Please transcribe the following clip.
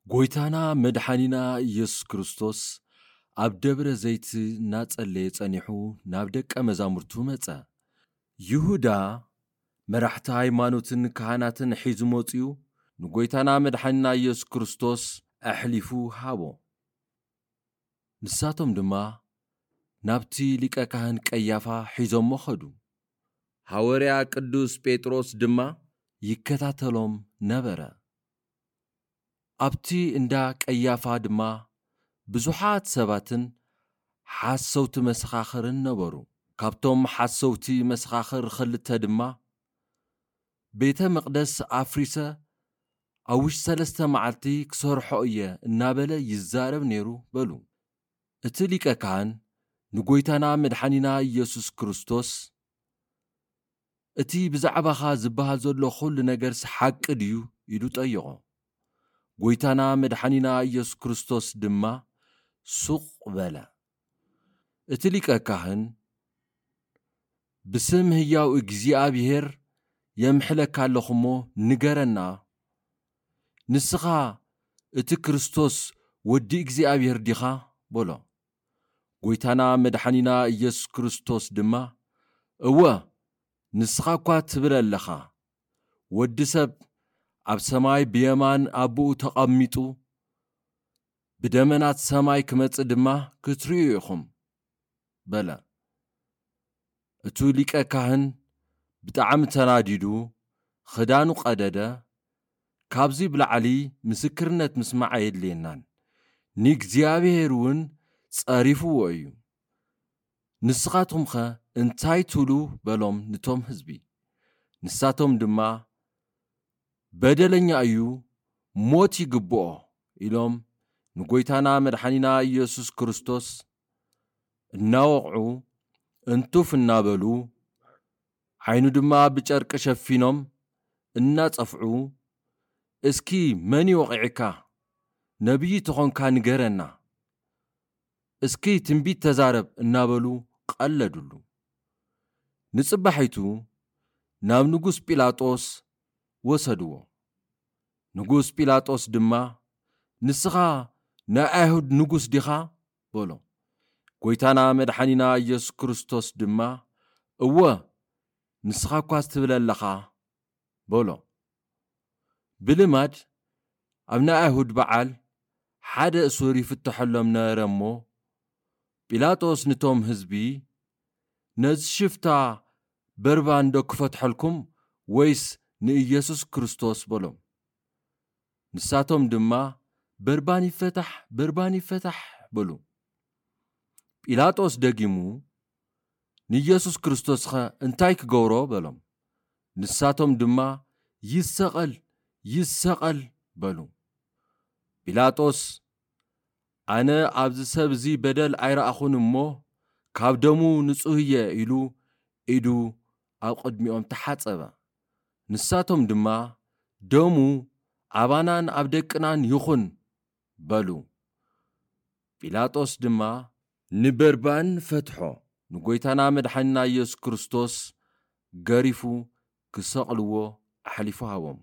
ጎይታና መድሓኒና ኢየሱስ ክርስቶስ ኣብ ደብረ ዘይት እናጸለየ ጸኒሑ ናብ ደቀ መዛሙርቱ መጸ። ይሁዳ መራሕቲ ሃይማኖትን ካህናትን ሒዙ መጺኡ ንጎይታና መድሓኒና ኢየሱስ ክርስቶስ ኣሕሊፉ ሃቦ። ንሳቶም ድማ ናብቲ ሊቀ ካህን ቀያፋ ሒዞሞ ኸዱ። ሃወርያ ቅዱስ ጴጥሮስ ድማ ይከታተሎም ነበረ። ኣብቲ እንዳ ቀያፋ ድማ ብዙሓት ሰባትን ሓሰውቲ መሰኻኽርን ነበሩ። ካብቶም ሓሰውቲ መሰኻኽር ኽልተ ድማ ቤተ መቕደስ ኣፍሪሰ ኣብ ውሽጢ ሰለስተ መዓልቲ ክሰርሖ እየ እናበለ ይዛረብ ነይሩ በሉ። እቲ ሊቀ ካህን ንጎይታና መድሓኒና ኢየሱስ ክርስቶስ እቲ ብዛዕባኻ ዝበሃል ዘሎ ኹሉ ነገርስ ሓቂ ድዩ ኢሉ ጠየቖ። ጎይታና መድሓኒና ኢየሱስ ክርስቶስ ድማ ሱቕ በለ። እቲ ሊቀ ካህን ብስም ህያው እግዚኣብሔር የምሕለካ ኣለኹ እሞ ንገረና፣ ንስኻ እቲ ክርስቶስ ወዲ እግዚኣብሔር ዲኻ በሎ። ጎይታና መድሓኒና ኢየሱስ ክርስቶስ ድማ እወ ንስኻ እኳ ትብል ኣለኻ፣ ወዲ ሰብ ኣብ ሰማይ ብየማን ኣቦኡ ተቐሚጡ ብደመናት ሰማይ ክመጽእ ድማ ክትርእዩ ኢኹም በለ። እቱ ሊቀ ካህን ብጣዕሚ ተናዲዱ ኽዳኑ ቀደደ። ካብዚ ብላዕሊ ምስክርነት ምስማዕ ኣየድልየናን፣ ንእግዚኣብሔር እውን ጸሪፍዎ እዩ። ንስኻትኩምኸ እንታይ ትብሉ በሎም ንቶም ህዝቢ። ንሳቶም ድማ በደለኛ እዩ፣ ሞት ይግብኦ ኢሎም ንጎይታና መድሓኒና ኢየሱስ ክርስቶስ እናወቕዑ እንቱፍ እናበሉ ዓይኑ ድማ ብጨርቂ ሸፊኖም እናጸፍዑ እስኪ መን ይወቒዕካ? ነቢይ ተኾንካ ንገረና። እስኪ ትንቢት ተዛረብ እናበሉ ቀለዱሉ። ንጽባሒቱ ናብ ንጉስ ጲላጦስ ወሰድዎ። ንጉስ ጲላጦስ ድማ ንስኻ ናይ ኣይሁድ ንጉስ ዲኻ በሎ። ጎይታና መድሓኒና ኢየሱስ ክርስቶስ ድማ እወ ንስኻ እኳ ትብል ኣለኻ በሎ። ብልማድ ኣብ ናይ ኣይሁድ በዓል ሓደ እሱር ይፍትሐሎም ነበረ እሞ ጲላጦስ ንቶም ህዝቢ ነዚ ሽፍታ በርባን ዶ ክፈትሐልኩም ወይስ ንኢየሱስ ክርስቶስ በሎም። ንሳቶም ድማ በርባን ይፈታሕ በርባን ይፈታሕ በሉ። ጲላጦስ ደጊሙ ንኢየሱስ ክርስቶስኸ እንታይ ክገብሮ በሎም። ንሳቶም ድማ ይሰቐል ይሰቐል በሉ። ጲላጦስ ኣነ ኣብዚ ሰብ እዚ በደል ኣይረኣኹን እሞ ካብ ደሙ ንጹህ እየ ኢሉ ኢዱ ኣብ ቅድሚኦም ተሓጸበ። ንሳቶም ድማ ደሙ ኣባናን ኣብ ደቅናን ይኹን በሉ። ጲላጦስ ድማ ንበርባን ፈትሖ፣ ንጎይታና መድሓኒና ኢየሱስ ክርስቶስ ገሪፉ ክሰቕልዎ ኣሕሊፉ ሃቦም።